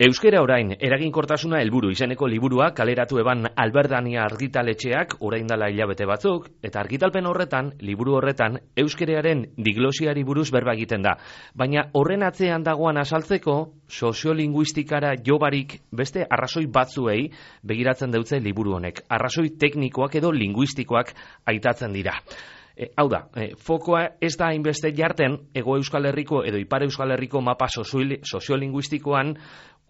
Euskera orain, eraginkortasuna helburu izeneko liburua kaleratu eban Alberdania argitaletxeak orain dela hilabete batzuk, eta argitalpen horretan, liburu horretan, euskerearen diglosiari buruz berba egiten da. Baina horren atzean dagoan azaltzeko, soziolinguistikara jobarik beste arrazoi batzuei begiratzen deutze liburu honek. Arrazoi teknikoak edo linguistikoak aitatzen dira. Hau da, fokoa ez da hainbeste jarten Hego Euskal Herriko edo Ipar Euskal Herriko mapa soziolinguistikoan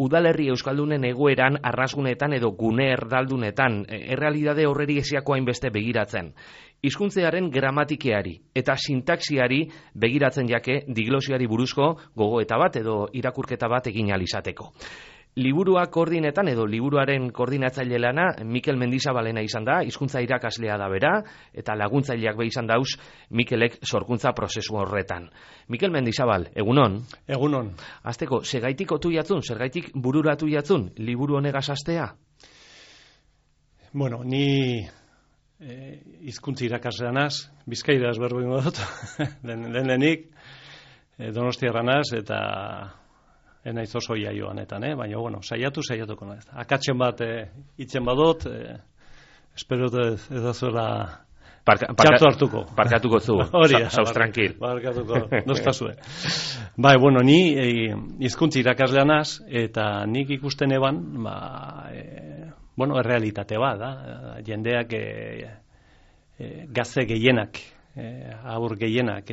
udalerri euskaldunen egoeran, arrazgunetan edo gune erdaldunetan, errealidade horreri esiako hainbeste begiratzen. Hizkuntzearen gramatikeari eta sintaxiari begiratzen jake diglosiari buruzko gogoeta bat edo irakurketa bat egin ahal izateko. Liburua koordinetan edo liburuaren koordinatzaile lana Mikel Mendizabalena izan da, hizkuntza irakaslea da bera, eta laguntzaileak be izan dauz Mikelek sorkuntza prozesu horretan. Mikel Mendizabal, egunon? Egunon. Azteko, zergaitik otu jatzun, zergaitik bururatu jatzun, liburu honegaz astea? Bueno, ni hizkuntza irakaslea naz, Bizkairaz berbo ingo dut, lehenik, Donostiarra naz, eta enaiz oso jaioanetan, baina, bueno, saiatuko naiz. Akatzen bat itzen badot, espero ez da zuela txartu hartuko. Parkatuko zu, sauz tranquil. Parkatuko, nostazue. Bai, bueno, ni hizkuntza irakaslean naz, eta nik ikusten eban, bueno, errealitate bat, da, jendeak gazte gehienak, aur gehienak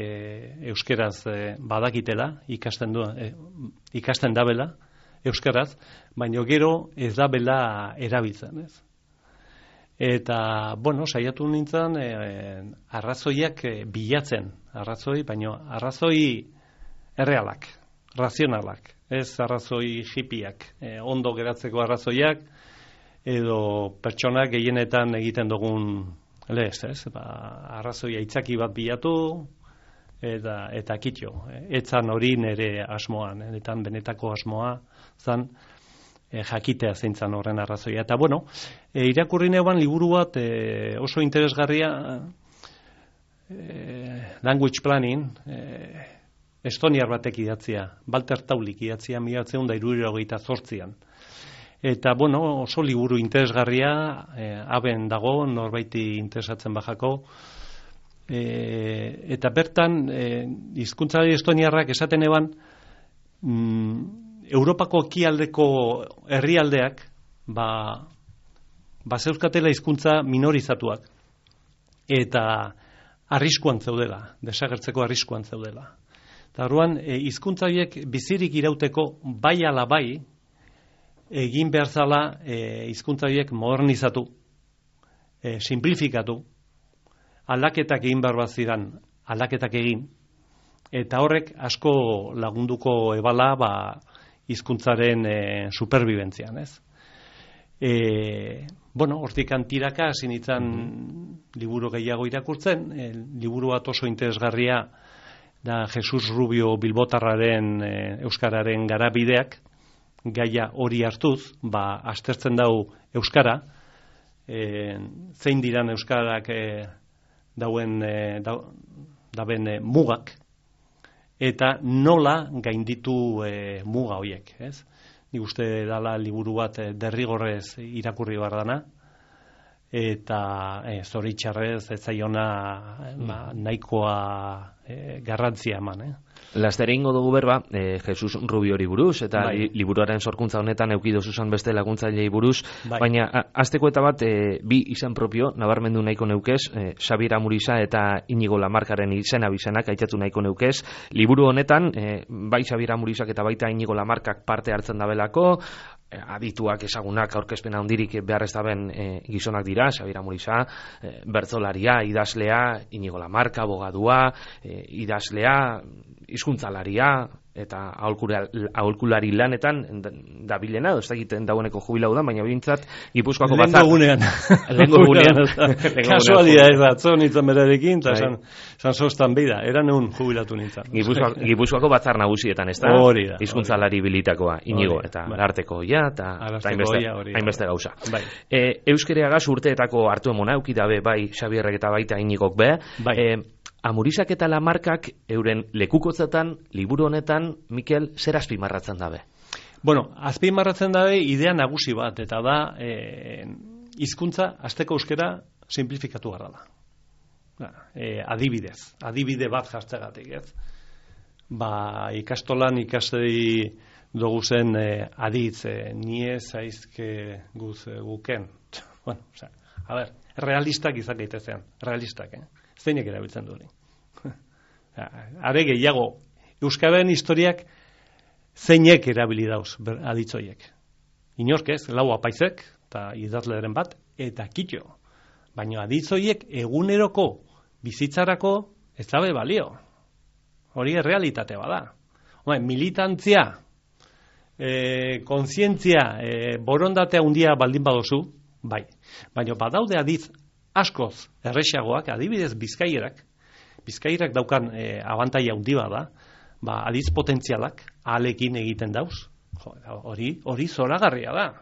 euskeraz badakitela, ikasten dabela euskeraz, baina gero ez dabela erabiltzen, ez? Eta, bueno, saiatu nintzen arrazoiak bilatzen, baina arrazoi errealak, razionalak, ez arrazoi hipiak, ondo geratzeko arrazoiak, edo pertsonak gehienetan egiten dugun lez, ez? Arrazoi aitzaki bat bilatu eta kitxo. Etzan hori nire asmoan, etan benetako asmoa zan jakitea zeintzan horren arrazoia. Eta bueno, irakurri neuban liburu bat oso interesgarria language planning, estoniar batek idatzia, Walter Taulik idatzia 1978an. Eta, bueno, oso liburu interesgarria, haben dago, norbaiti interesatzen bajako. Eta bertan, hizkuntzalari estoniarrak esaten eban, Europako ekialdeko herrialdeak, zeuzkatela hizkuntza minorizatuak. Eta arriskuan zeudela, desagertzeko arriskuan zeudela. Eta orduan, hizkuntza horiek bizirik irauteko bai ala bai, egin behar zala hizkuntza horiek modernizatu, simplifikatu, aldaketak egin behar bat zidan, aldaketak egin, eta horrek asko lagunduko ebala hizkuntzaren superbibentzian, ez? Bueno, hortik antiraka hasi nintzen liburu gehiago irakurtzen, liburu bat oso interesgarria da Jesus Rubio Bilbotarraren euskararen garabideak, gaia hori hartuz, aztertzen dau euskara, zein diran euskarak daben mugak, eta nola gainditu muga horiek, ez? Nik uste dala liburu bat derrigorrez irakurri behar dana, eta zoritxarrez ez zaiona nahikoa garrantzia eman, Laster egingo dugu berba, Jesus Rubiori buruz, eta liburuaren sorkuntza honetan eukido zuzan beste laguntzailei buruz, baina hasteko eta bat bi izan propio, nabarmendu nahiko neukez, Xabier Amuriza eta Inigo Lamarkaren izena bizenak aitzatu nahiko neukez. Liburu honetan, bai Xabier Amurizak eta baita Inigo Lamarkak parte hartzen dabelako, adituak ezagunak aurkezpena handirik behar ez daben gizonak dira, Xabier Amuriza, bertzolaria, idazlea, Inigo Lamarka, abogadua, idazlea, hizkuntzalaria eta aholkulari lanetan dabilena, ez dakiten dagoeneko jubilau da, baina bintzat Gipuzkoako batzar. Lehengo gunean. Kasualia ez da, atzo nintzen berarekin, eta esan sostan beida, eran egun jubilatu nintzen. Gipuzkoako batzar nagusietan, ez da? Hori da. Hizkuntzalari bilitakoa, Inigo, eta arteko eta hainbeste gauza. Euskereagaz urteetako hartu emona, eukidabe bai Xabierrek eta baita Inigok be, Amurizak eta Lamarkak euren lekukotzetan, liburu honetan, Mikel, zer azpimarratzen dabe? Bueno, azpimarratzen dabe idea nagusi bat, eta da hizkuntza hasteko euskera simplifikatu gara da. Adibide bat jartzegatik, ez? Ikastolan ikastei dugu zen aditz, nie zaizke guken. Bueno, realistak izan gaitezean, realistak, zeinek erabiltzen du hori. Are gehiago, euskararen historiak zeinek erabili dauz aditzoiek. Inork ez, lau apaizek, eta idazleren bat, eta kitxo. Baina aditzoiek eguneroko bizitzarako ez dabe balio. Hori errealitate bada. Militantzia, kontzientzia, borondatea handia baldin badozu, bai. Baina badaude aditz askoz erresagoak, adibidez Bizkaierak daukan abantaila handi bada, aditz potentzialak ahalekin egiten dauz. Hori zoragarria da.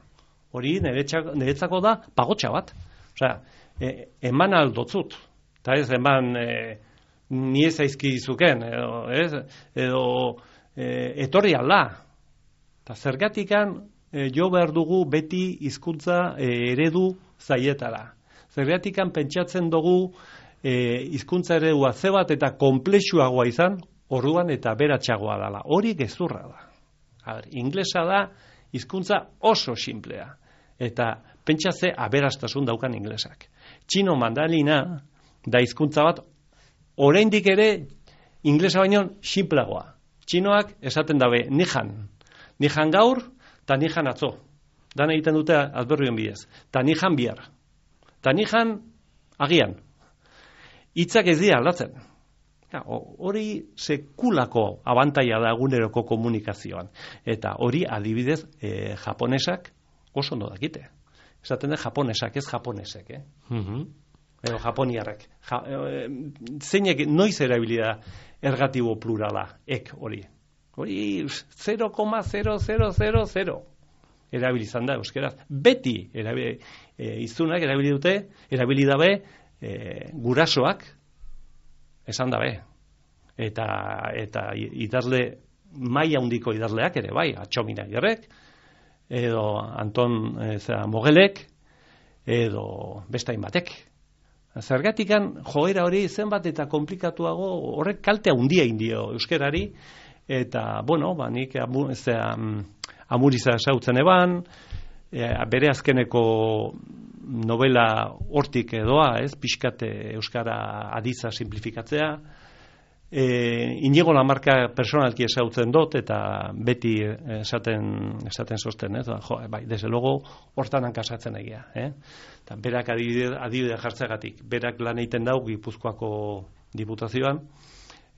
Hori niretzako da pagotxa bat. Osea, eman aldotzut. Eta ez eman ni ez aizkizuken, edo etorri alda. Eta zergatikan jo behar dugu beti hizkuntza eredu zaietara. Zergatikan pentsatzen dugu hizkuntza eredua ze bat eta konplexuagoa izan, orduan eta beratxagoa dela. Hori gezurra da. Inglesa da hizkuntza oso simplea. Eta pentsatze aberastasun daukan inglesak. Txino mandalina da hizkuntza bat oraindik ere inglesa baino simpleagoa. Txinoak esaten dabe nijan gaur eta nijan atzo. Dan egiten dute adberrioen bidez. Ta nijan bihar. Ta nijan agian. Hitzak ez dira aldatzen. Hori sekulako abantaila da eguneroko komunikazioan. Eta hori adibidez japonesak oso ondo dakite. Esaten da japonesak, ez japonesek, edo japoniarrek. Zeinek noiz erabilida ergatibo plurala, hori. Hori 0,0000 erabilizan da euskeraz. Beti izunak erabili dabe gurasoak esan dabe. Eta idazle maila handiko idazleak ere bai, Atxomina Gerrek, edo Anton Mogelek, edo bestain batek. Zergatikan joera hori zenbat eta komplikatuago horrek kalte handia indio euskerari, eta, nik Amuriza esautzen eban, bere azkeneko novela hortik edoa, pixkate euskara aditza simplifikatzea, Inigo Lamarca personalki esautzen dut, eta beti esaten sosten, desde luego hortan hankasatzen egia. Eta berak adibide jartzegatik, berak lan egiten dau Gipuzkoako diputazioan,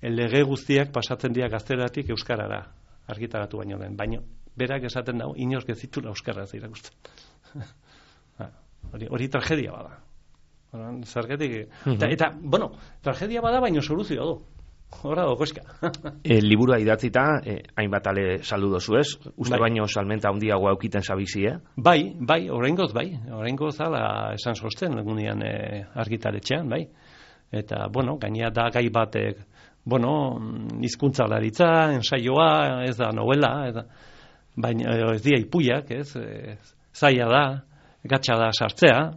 lege guztiak pasatzen dira gazteratik euskarara, argitaratu baino den, baino berak esaten dau, inork ez zitula euskaraz irakusten. Hori tragedia bada. Zergatik, eta, tragedia bada, baino soluzioa du. Hora dokoska. Liburua idatzita, hainbat ale saldu dozu ez? Uste baino salmenta handiagoa aukiten sabizi, Bai, oraingoz bai. Oraingoz ala esan sosten, egunean argitaretxean, bai. Eta, gainea da gai batek, hizkuntzalaritza, ensaioa, ez da novela, baina ez dira ipuiak, ez? Zaila da, gatsa da saltzea,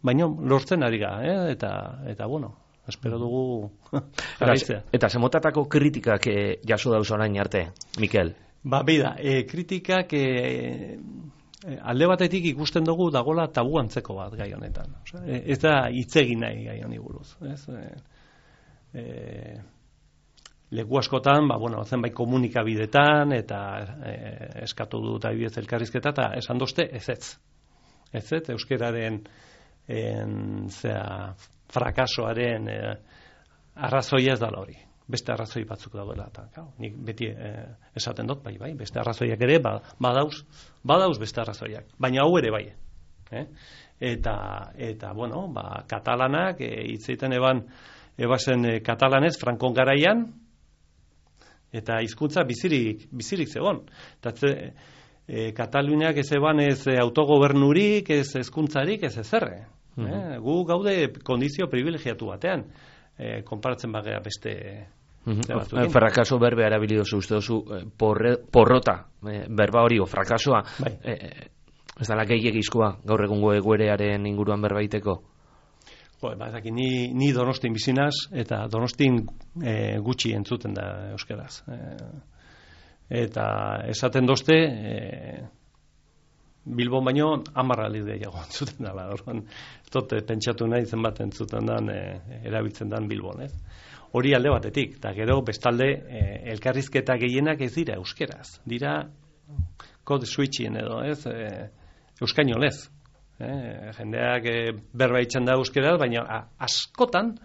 baina lortzen ari ga, eta espero dugu jarraitzea. Eta zemotatako kritikak jaso dauz orain arte, Mikel? Bida, kritikak alde batetik ikusten dugu dagola tabu antzeko bat gai honetan. Ez da hitz egin nahi gai honi buruz. Leku askotan, zenbait komunikabidetan, eta eskatu dut adibidez elkarrizketa, eta esan dozte ez. Euskeraren frakasoaren arrazoia ez dala hori. Beste arrazoi batzuk daudela. Nik beti esaten dut, bai, beste arrazoiak ere, badauz beste arrazoiak. Baina hau ere bai. Eta katalanak, hitzeiten ebazen katalanez, Frankon garaian, eta hizkuntza bizirik zegoen. Kataluniak ez eban ez autogobernurik, ez hezkuntzarik, ez ezerre. Gu gaude kondizio privilegiatu batean, konparatzen bagea Frakaso berbe erabili dozu, uste dozu porrota, berba hori, o frakasoa, ez dala gehiagizkoa gaur egungo egoerearen inguruan berbaiteko? Ni Donostin bizinaz, eta Donostin gutxi entzuten da euskeraz. Eta esaten dozte, Bilbon baino 10 aldiz gehiago entzuten dela. Tot pentsatu nahi zenbat entzuten dan, erabiltzen dan Bilbon, ez? Hori alde batetik, eta gero bestalde elkarrizketa gehienak ez dira euskeraz. Dira code switching edo, ez? Euskainolez. Jendeak berbaitzen da euskeraz, baina askotan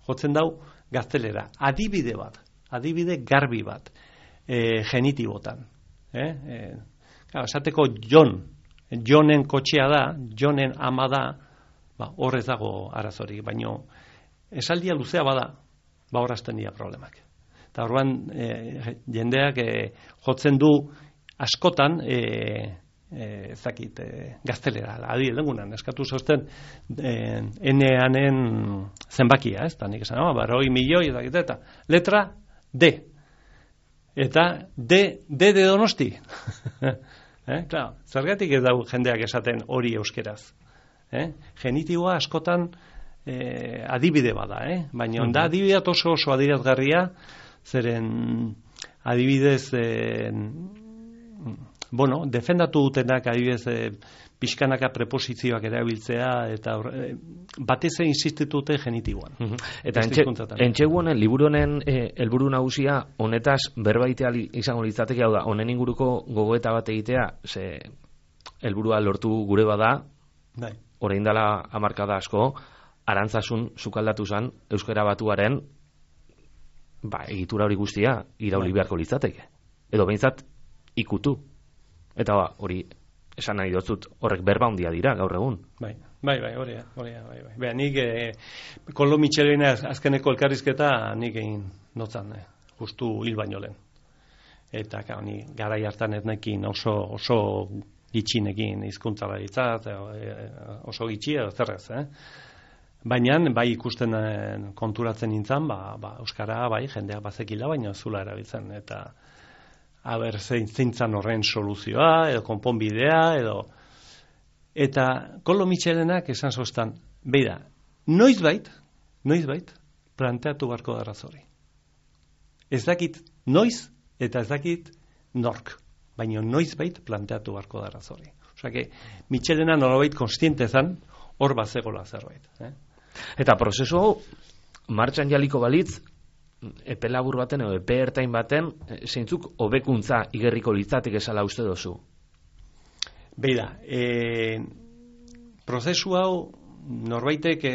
jotzen dau gaztelera. Adibide garbi bat, genitibotan. Esateko Jonen kotxea da, Jonen ama da, horrez dago arazorik, baina esaldia luzea bada, horazten dira problemak. Eta orduan jendeak jotzen du askotan gaztelera, adi edengunan, eskatu zozten eneanen zenbakia, ez? Nik esan, 40 milioi, eta letra D. Eta D de Donosti. Claro, zergatik ez dau jendeak esaten hori euskeraz. Genitiboa askotan adibide bada, baina da adibidea oso adirazgarria, zeren adibidez defendatu dutenak adibidez pixkanaka preposizioak erabiltzea eta batez insistitute genitiboan. Eta entxegu honen, liburu honen helburu nagusia honetaz berbaitea izango litzateke, hau da, honen inguruko gogoeta bat egitea, ze helburua lortu gure bada, orain dela hamarkada asko, Arantzasun sukaldatu zan Euskara Batuaren egitura hori guztia irauli beharko litzateke. Edo behintzat ikutu. Eta hori esan nahi dotzut, horrek berba handia dira gaur egun. Bai, hori. Nik Koldo Mitxelena azkeneko elkarrizketa nik egin notzan, justu hil baino lehen. Eta ni garai hartan ez nekin oso gitxinekin hizkuntzala ditzat, oso gitxi edo zerrez, Baina, ikusten konturatzen nintzen, Euskara, jendeak bazekila, baina zula erabiltzen, eta zeintzan horren soluzioa, edo konponbidea, eta Koldo Mitxelenak esan zoztan, beida, noizbait, planteatu barko da razori. Ez dakit noiz, eta ez dakit nork, baina noizbait planteatu barko da razori. Osea, Mitxelena nolabait konstiente zan, hor bazegola zerbait. Eta prozesu hau, martxan jaliko balitz, epe labur baten edo epe ertain baten, zeintzuk hobekuntza igerriko litzatek esala uste dozu? Beida, prozesu hau norbaitek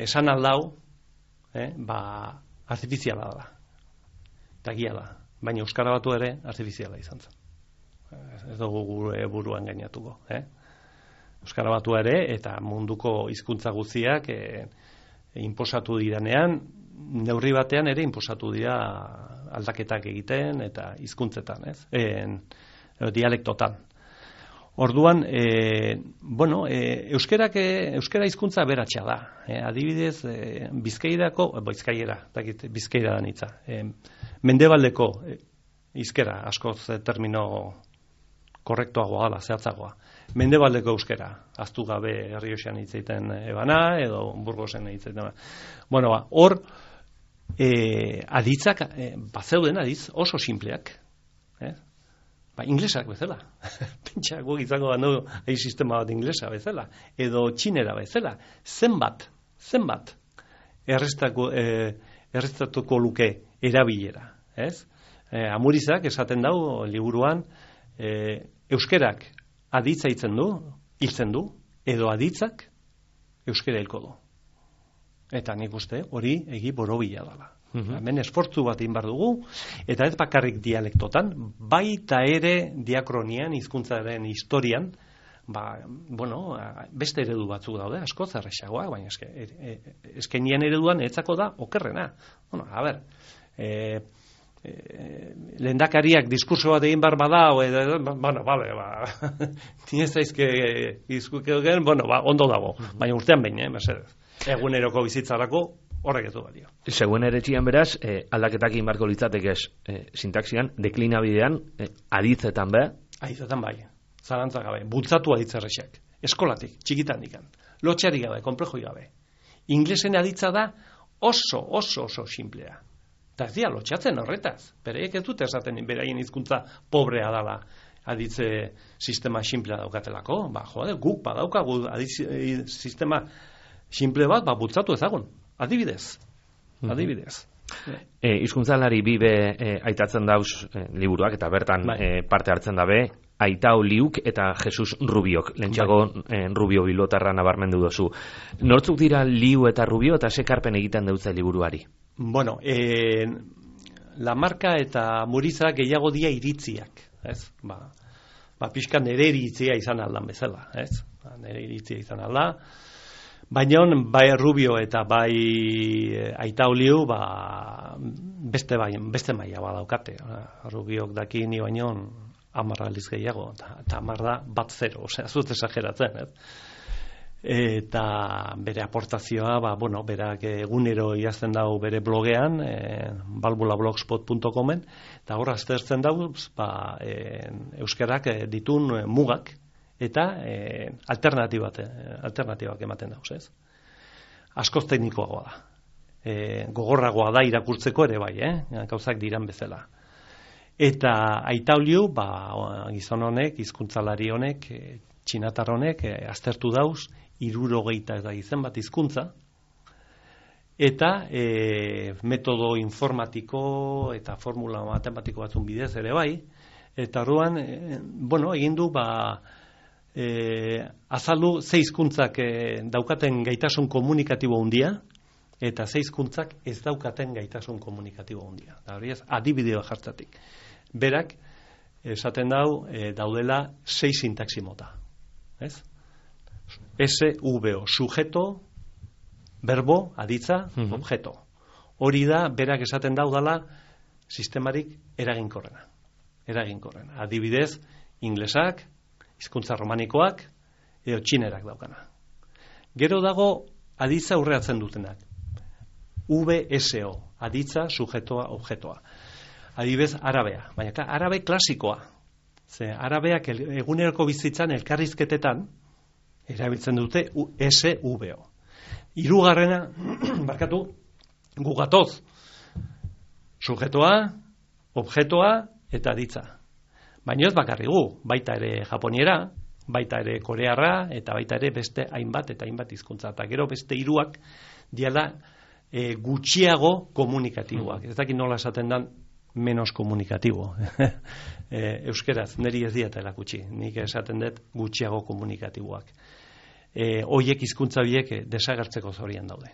esan aldau, artifiziala da. Eta gia da. Baina Euskara Batu ere artifiziala izan zen. Ez dugu gure buruan gainatuko. Euskara Batu ere eta munduko hizkuntza guztiak inposatu diranean, neurri batean ere inposatu dira aldaketak egiten eta hizkuntzetan, dialektotan. Orduan, euskara hizkuntza aberatsa da. Adibidez, Bizkaira da nitza. Mendebaldeko hizkera, askoz termino korrektoagoa dela, zehatzagoa. Mendebaldeko euskera, ahaztu gabe Errioxan hitz egiten ebana, edo Burgosen hitz egiten ebana. Hor, aditzak, bazeuden adiz, oso simpleak, inglesak bezala. Pentsa, guk izango bandu sistema bat inglesa bezala, edo txinera bezala. Zenbat errestatuko luke erabilera, Amurizak esaten dau liburuan, euskerak aditza hiltzen du, edo aditzak euskera hilko du. Eta nik uste hori egi borobila dela. Hemen esfortzu bat egin behar dugu, eta ez bakarrik dialektotan, baita ere diakronian, hizkuntzaren historian, beste eredu batzuk daude, asko zerrexagoa, baina eskenien ereduan etzako da okerrena. Lehendakariak diskurso bat egin behar bada, ni ez daizke ondo dago, baina urtean behin, mesedez. Eguneroko bizitzarako horrek ez du balio. Zegoen ere txian beraz, aldaketak egin beharko litzatekez sintaxian, deklinabidean, aditzetan be? Aditzetan bai, zalantza gabe, bultzatu aditzerrexak, eskolatik, txikitan dikan, lotxari gabe, konplejoi gabe. Inglesen aditza da oso simplea. Eta ez dira lotxatzen horretaz, bereiek ez dute esaten beraien hizkuntza pobrea dala aditze sistema simplea daukatelako, guk badaukagu sistema simple bat, bultzatu ezagun. Adibidez. Hizkuntzalari bibe aitatzen dauz liburuak, eta bertan parte hartzen dabe, Aita Oliuk eta Jesus Rubiok. Lentsago Rubio Bilbotarra nabarmendu dozu. Nortzuk dira Liu eta Rubio, eta sekarpen egiten deutze liburuari? Bueno, Lamarca eta Muriza gehiago dia iritziak, ez? Pixka nere iritzia izan aldan bezala, ez? Nere iritzia izan alda. Baina bai Rubio eta bai Aita Oliu beste maila badaukate. Rubiok daki ni baino 10 aldiz gehiago, eta 10 da 1-0, osea, zut esageratzen, Eta bere aportazioa, berak egunero idazten dau bere blogean, balbulablogspot.comen, eta hor aztertzen dauz, euskarak ditun mugak, eta alternatibak ematen dauz, ez? Askoz teknikoagoa da. Gogorragoa da irakurtzeko ere bai, gauzak diran bezala. Eta Aita Oliu, gizon honek, hizkuntzalari honek, txinatar honek, aztertu dauz, 70 da izen bat hizkuntza, eta metodo informatiko eta formula matematiko batzun bidez ere bai, eta orduan, egin du, azaldu 6 hizkuntzak daukaten gaitasun komunikatibo handia, eta 6 hizkuntzak ez daukaten gaitasun komunikatibo handia. Da hori ez, adibideo jartzatik. Berak, esaten daudela 6 sintaxi mota. Ez? SVO, sujeto, verbo, aditza, objeto. Hori da, berak esaten daudala sistemarik eraginkorrena. Adibidez, inglesak, hizkuntza romanikoak, edo txinerak daukana. Gero dago aditza aurreatzen dutenak. VSO, aditza, sujetoa, objetoa. Adibidez, arabea. Baina, arabe klasikoa. Ze, arabeak eguneroko bizitzan elkarrizketetan erabiltzen dute SVO. Hirugarrena, gugatoz. Sujetoa, objetoa eta aditza. Baina ez bakarri gu, baita ere japoniera, baita ere korearra, eta baita ere beste hainbat hizkuntza. Eta gero beste 3 diala gutxiago komunikatiboak. Ez dakit nola esaten dan menos komunikatibo. Euskeraz, niri ez dieta erakutsi. Nik esaten dut gutxiago komunikatiboak. Hoiek hizkuntza biek desagertzeko zorian daude.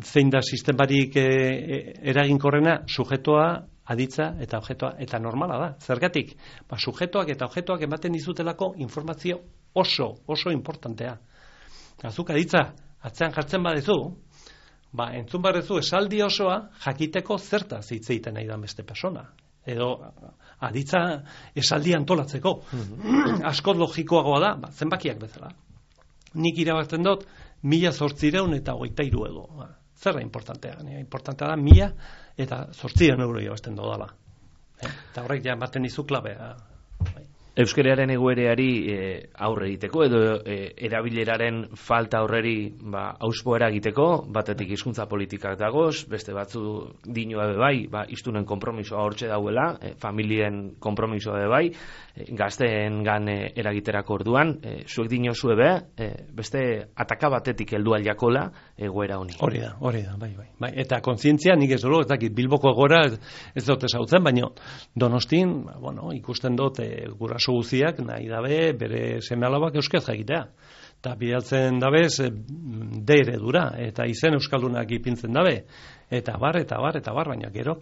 Zein da sistemarik eraginkorrena, sujetoa, aditza eta objetoa, eta normala da. Zergatik, sujetoak eta objetoak ematen dizutelako informazio oso importantea. Azuk aditza, atzean jartzen badezu, entzun badezu esaldi osoa jakiteko zertaz hitz egiten nahi da beste persona. Edo aditza esaldi antolatzeko. Asko logikoagoa da, zenbakiak bezala. Nik irabazten dut 1823 edo. Zer da importantea? Importantea da 1800 euro irabazten dodala. Eta horrek ja ematen dizu klabea. Euskararen egoereari aurre egiteko edo erabileraren falta horreri auspo eragiteko, batetik hizkuntza politikak dagoz, beste batzu dinoa bai, hiztunen konpromisoa hortxe dauela, familien konpromisoa bai, gazteengan eragiterako orduan, zuek dinozue beste ataka batetik heldu aldiakola egoera honi. Hori da, bai. Eta kontzientzia nik ez dut, Bilboko egora ez dut ezautzen, baina Donostin, ikusten dut guraso guziak nahi dabe bere seme-alabak euskaz jakitea. Eta bidaltzen dabez D eredura, eta izen euskaldunak ipintzen dabe. Eta bar, baina gero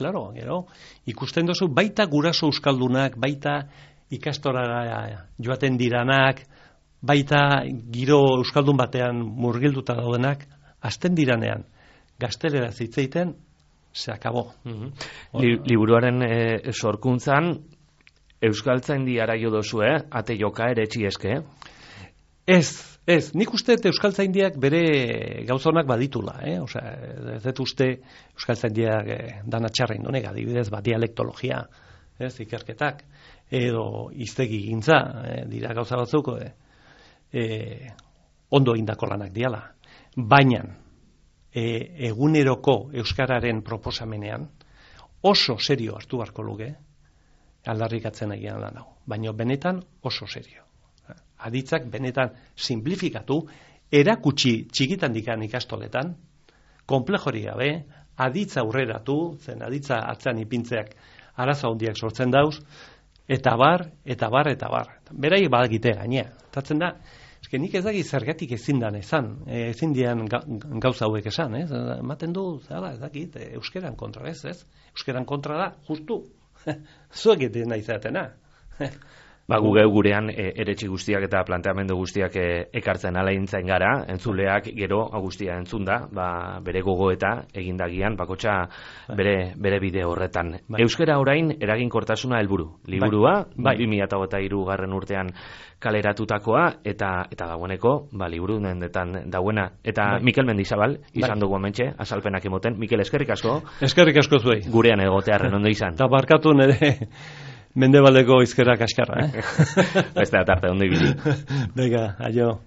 ikusten dozu baita guraso euskaldunak, baita ikastorara joaten diranak, baita giro euskaldun batean murgilduta daudenak, hasten diranean gaztelera zitzeiten, se akabo. Liburuaren sorkuntzan euskaltzaindi araio dozue, ate joka ere txieske? Ez, nik uste Euskaltzaindiak bere gauzonak baditula, Osea, ez dut uste Euskaltzaindiak dana txarra indonek, adibidez, dialektologia, ikerketak, edo hiztegi gintza, dira gauza batzuk, ondo indako lanak diala. Baina, eguneroko euskararen proposamenean, oso serio hartu beharko luke, aldarrikatzen egian lan hau. Baina benetan oso serio. Aditzak benetan simplifikatu, erakutsi txikitan dikan ikastoletan, konplejori gabe, aditza aurreratu, zen aditza atzean ipintzeak arazo handiak sortzen dauz, eta bar. Berai badakite gainea. Tatzen da, nik ez daki zergatik ezin dan ezin dian gauza hauek esan, ematen du, ez dakit, euskeran kontra, ez? Euskeran kontra da, justu, zuek eten nahi zatena. Gu gurean eretxi guztiak eta planteamendu guztiak ekartzen alaintzen gara, entzuleak gero guztia entzun da, bere gogoeta egindagian, bakotxa bere bide horretan. Euskara orain eraginkortasuna helburu. Liburua, 2023 urtean kaleratutakoa, eta dagoeneko, liburu dendetan dauena. Eta Mikel Mendizabal, izan dugu hementxe, azalpenak emoten. Mikel, eskerrik asko. Eskerrik asko zuei. Gurean egotearren ondo izan. Eta barkatu nire Mendebaldeko izkerak askarra, Beste atarte, ondo ibili. Venga, aio.